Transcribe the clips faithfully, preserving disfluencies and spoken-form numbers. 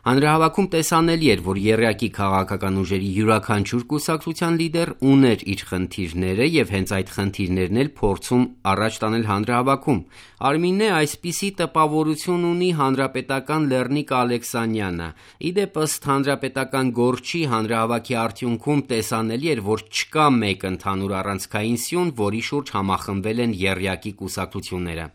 Հանրահավաքում տեսանելի էր, որ եռյակի քաղաքական ուժերի յուրաքանչյուր կուսակցության լիդեր ուներ իր խնդիրները եւ հենց այդ խնդիրներն էլ փորձում առաջ տանել հանրահավաքում։ Արմինե այսպիսի տպավորություն ունի հանրապետական Լեռնիկ Ալեքսանյանը։ Իդեպ ըստ հանրապետական գործչի հանրահավաքի արդյունքում տեսանելի էր, որ չկա մեկ ընդհանուր առանցքային սյուն, որի շուրջ համախմբվել են եռյակի կուսակցությունները։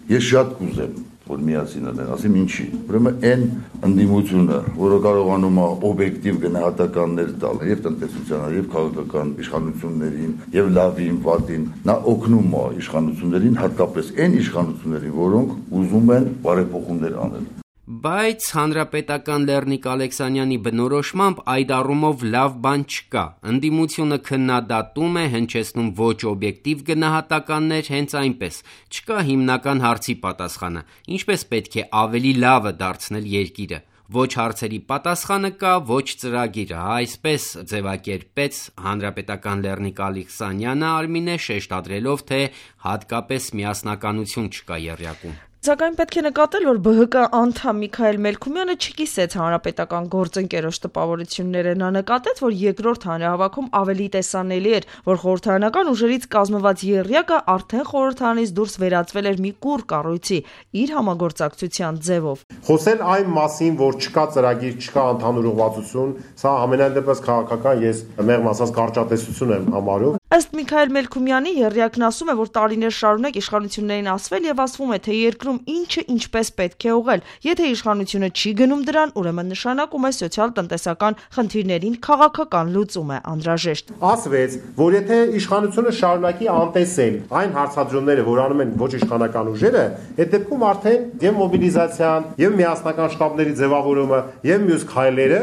Ես շատ կուզեմ, որ միասին են, ասեմ ինչի։ Ուրեմն այն ընդդիմությունը, որը կարողանում է օբյեկտիվ գնահատականներ տալ եւ տնտեսությանը, եւ քաղաքական իշխանություններին, եւ լավին, վատին, նա օգնում է իշխանություններին, հատկապես այն իշխանություններին, որոնք ուզում են բարեփոխումներ անել։ Բայց հանրապետական Լեռնիկ Ալեքսանյանի բնորոշմամբ այդ առումով լավ բան չկա։ Ընդդիմությունը քննադատում է, հնչեցնում ոչ օբյեկտիվ գնահատականներ, հենց այնպես։ Չկա հիմնական հարցի պատասխանը՝ ինչպես պետք է ավելի լավը դարձնել երկիրը։ Ոչ հարցերի պատասխանը կա, ոչ ծրագիրը, այսպես ձևակերպեց հանրապետական Լեռնիկ Ալեքսանյանը Արմինե, շեշտադրելով, թե հատկապես միասնականություն չկա եռյակում։ Սակայն պետք է նկատել, որ ԲՀԿ անդամ Միքայել Մելքումյանը չկիսեց հանրապետական գործընկերոջ տպավորությունները։ Նա նկատեց, որ երկրորդ հանրահավաքում ավելի տեսանելի էր, որ խորհրդարանական ուժերից կազմված եռյակը արդեն խորհրդարանից դուրս վերածվել էր մի կուռ կառույցի իր համագործակցության ձևով։ Խոսել այն մասին, որ չկա ծրագիր, չկա ընդհանուր ուղղվածություն, սա ամենայն դեպս քաղաքական ես մեղմ ասած կարճատեսություն եմ համարում։ Ըստ Միքայել Մելքումյանի եռյակն ասում է, որ տարիներ շարունակ իշխանություններին ասվել եւ ասվում է, թե երկրում ինչը ինչպես պետք է ուղղել։ Եթե իշխանությունը չի գնում դրան, ուրեմն նշանակում է սոցիալ-տնտեսական խնդիրներին քաղաքական լուծում է անհրաժեշտ։ Ասվեց, որ եթե իշխանությունը շարունակի անտեսել այն հարցադրումները, որ անում են ոչ իշխանական ուժերը, այդ դեպքում արդեն եւ մոբիլիզացիան, եւ միասնական շտաբների ձևավորումը, եւ մյուս քայլերը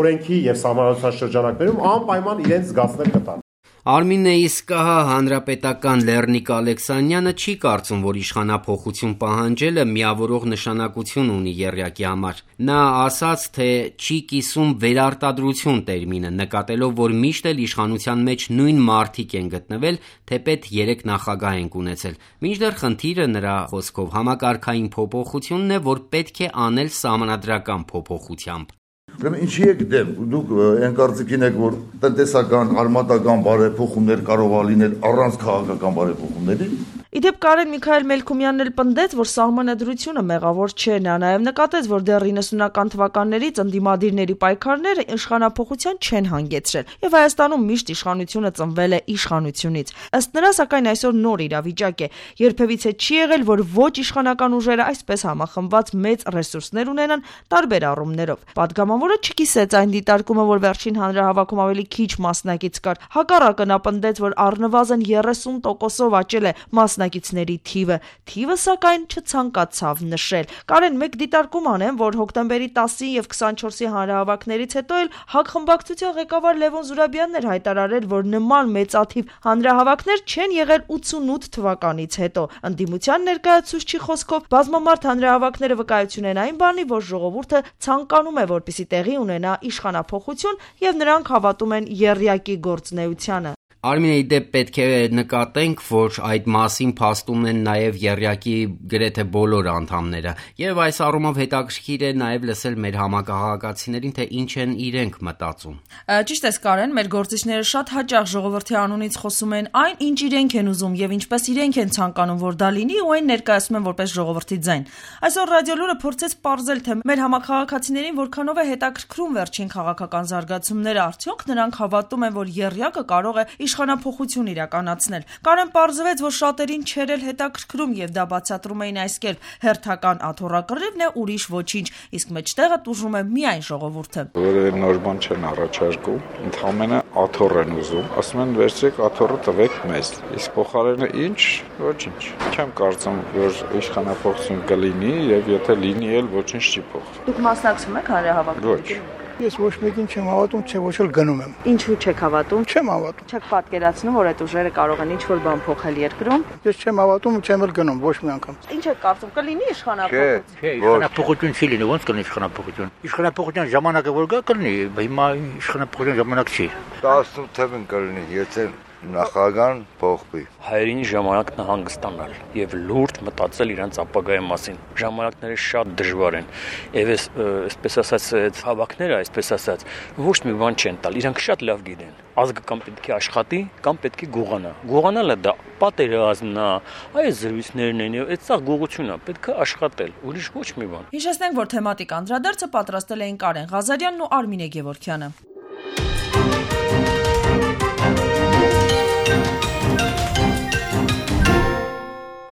օրենքի եւ սահմանադրության շրջանակներում անպայման իրենց զգացնել կտան։ Արմինե իսկ ահա հանրապետական Լեռնիկ Ալեքսանյանը չի կարծում, որ իշխանափոխություն պահանջելը միավորող նշանակություն ունի եռյակի համար։ Նա ասաց, թե չի կիսում վերարտադրություն տերմինը, նկատելով, որ միշտ էլ իշխանության մեջ նույն մարդիկ են գտնվել, թեպետ երեք նախագահ են ունեցել։ Մինչդեռ խնդիրը նրա խոսքով համակարգային փոփոխությունն է, որ պետք է անել սահմանադրական փոփոխությամբ։ Ուրեմն ինչի եք դեմ, դուք այն կարծիքին եք, որ տնտեսական, արմատական բարեփոխումներ կարող է լինել առանց քաղաքական բարեփոխումների։ Իդեպ Կարեն Միքայել Մելքումյանն էլ պնդեց, որ սահմանադրությունը մեղավոր չէ։ Նա նաև նկատեց, որ դեռ իննսունական թվականներից ընդդիմադիրների պայքարները իշխանափոխության չեն հանգեցրել, եւ Հայաստանում միշտ իշխանությունը ծնվել է իշխանությունից։ Ըստ նրա, սակայն այսօր նոր իրավիճակ է։ Երբևիցե չի եղել, որ ոչ իշխանական ուժերը այսպես համախմբված մեծ ռեսուրսներ ունենան տարբեր առումներով։ Պատգամավորը չկիսեց այն դիտարկումը, որ վերջին հանրահավաքում ավելի քիչ մասնակից կար։ Հակառակը նա պնդեց, որ առնվազն երեսուն տոկոսով աճել է մասնակիցների թիվը։ Թիվը սակայն չցանկացավ նշել։ Կարեն մեկ դիտարկում անեմ, որ հոկտեմբերի տասին եւ քսանչորսի հանրահավաքներից հետո էլ ՀԱԿ խմբակցության ղեկավար Լևոն Զուրաբյանն էր հայտարարել, որ նման մեծաթիվ հանրահավաքներ չեն եղել ութսունութ թվականից հետո։ Ընդդիմության ներկայացուցչի խոսքով բազմամարդ հանրահավաքները վկայություն են այն բանի, որ ժողովուրդը ցանկանում է, որպեսզի տեղի ունենա իշխանափոխություն, եւ նրանք հավատում են եռյակի գործունեությանը։ Արմինե, իդեպ պետք է նկատենք, որ այդ մասին փաստում են նաև եռյակի գրեթե բոլոր անդամները, եւ այս առումով հետաքրքիր է նաև լսել մեր համակարգացիներին, թե ինչ են իրենք մտածում։ Ճիշտ ես, Կարեն, մեր գործիչները շատ հաճախ ժողովրդի անունից խոսում են այն, ինչ իրենք են ուզում եւ ինչպես իրենք են ցանկանում, որ դա լինի, ու այն ներկայացնում են որպես ժողովրդի ձայն։ Այսօր Ռադիոլուրը փորձեց պարզել, թե մեր համակարգացիներին որքանով է հետաքրքրում վերջին քաղաքական զարգացումները, արդյոք նրանք հավատում են, որ եռյակը կարող է իշխանափոխություն իրականացնել։ Կարեն պարզվեց, որ շատերին չէր էլ հետաքրքրում եւ դա բացատրում էին այս կերպ. հերթական աթոռակռիվն է, ուրիշ ոչինչ, իսկ մեջտեղը տուժում է միայն ժողովուրդը։ Որևէ նոր բան չեն առաջարկում, ընդհանրապես աթոռ են ուզում, ասում են վերցրեք աթոռը տվեք մեզ, իսկ փոխարենը ինչ, ոչինչ։ Չեմ կարծում, որ իշխանափոխություն կլինի եւ եթե լինի էլ ոչինչ չի փոխվի։ Դուք մասնակցում եք հանրահավաքներին։ Ոչ։ Ես ոչ մեկին չեմ հավատում, չէ ոչ էլ գնում եմ։ Ինչու չեք հավատում։ Չեմ հավատում։ Չեք պատկերացնում, որ այդ ուժերը կարող են ինչ-որ բան փոխել երկրում։ Ես չեմ հավատում, չեմ էլ գնում ոչ մի անգամ։ Ինչ եք կարծում, կլինի իշխանափոխություն։ Չէ, իշխանափոխություն չի լինի, ո՞նց կլինի իշխանափոխություն։ Իշխանափոխության ժամանակը որ գա կլինի, հիմա իշխանափոխության ժամանակ չի։ տասնութ թվականին կլինի, եթե նախագահան փոխվի։ Հայերին ժամանակն է հանգստանալ եւ լուրջ մտածել իրենց ապագայի մասին։ Ժամանակները շատ դժվար են եւ այս այսպես ասած հավաքները, այսպես ասած, ոչ մի բան չեն տալ։ Իրանք շատ լավ գիտեն։ Ազգը կամ պետք է աշխատի, կամ պետք է գողանա։ Գողանալը դա պատերազմն է, այս զրույցներն են եւ այդ սա գողությունն է, պետք է աշխատել, ուրիշ ոչ մի բան։ Հիշեցնենք, որ թեմատիկ անդրադարձը պատրաստել էին Կարեն Ղազարյանն ու Արմինե Գևորգյանը։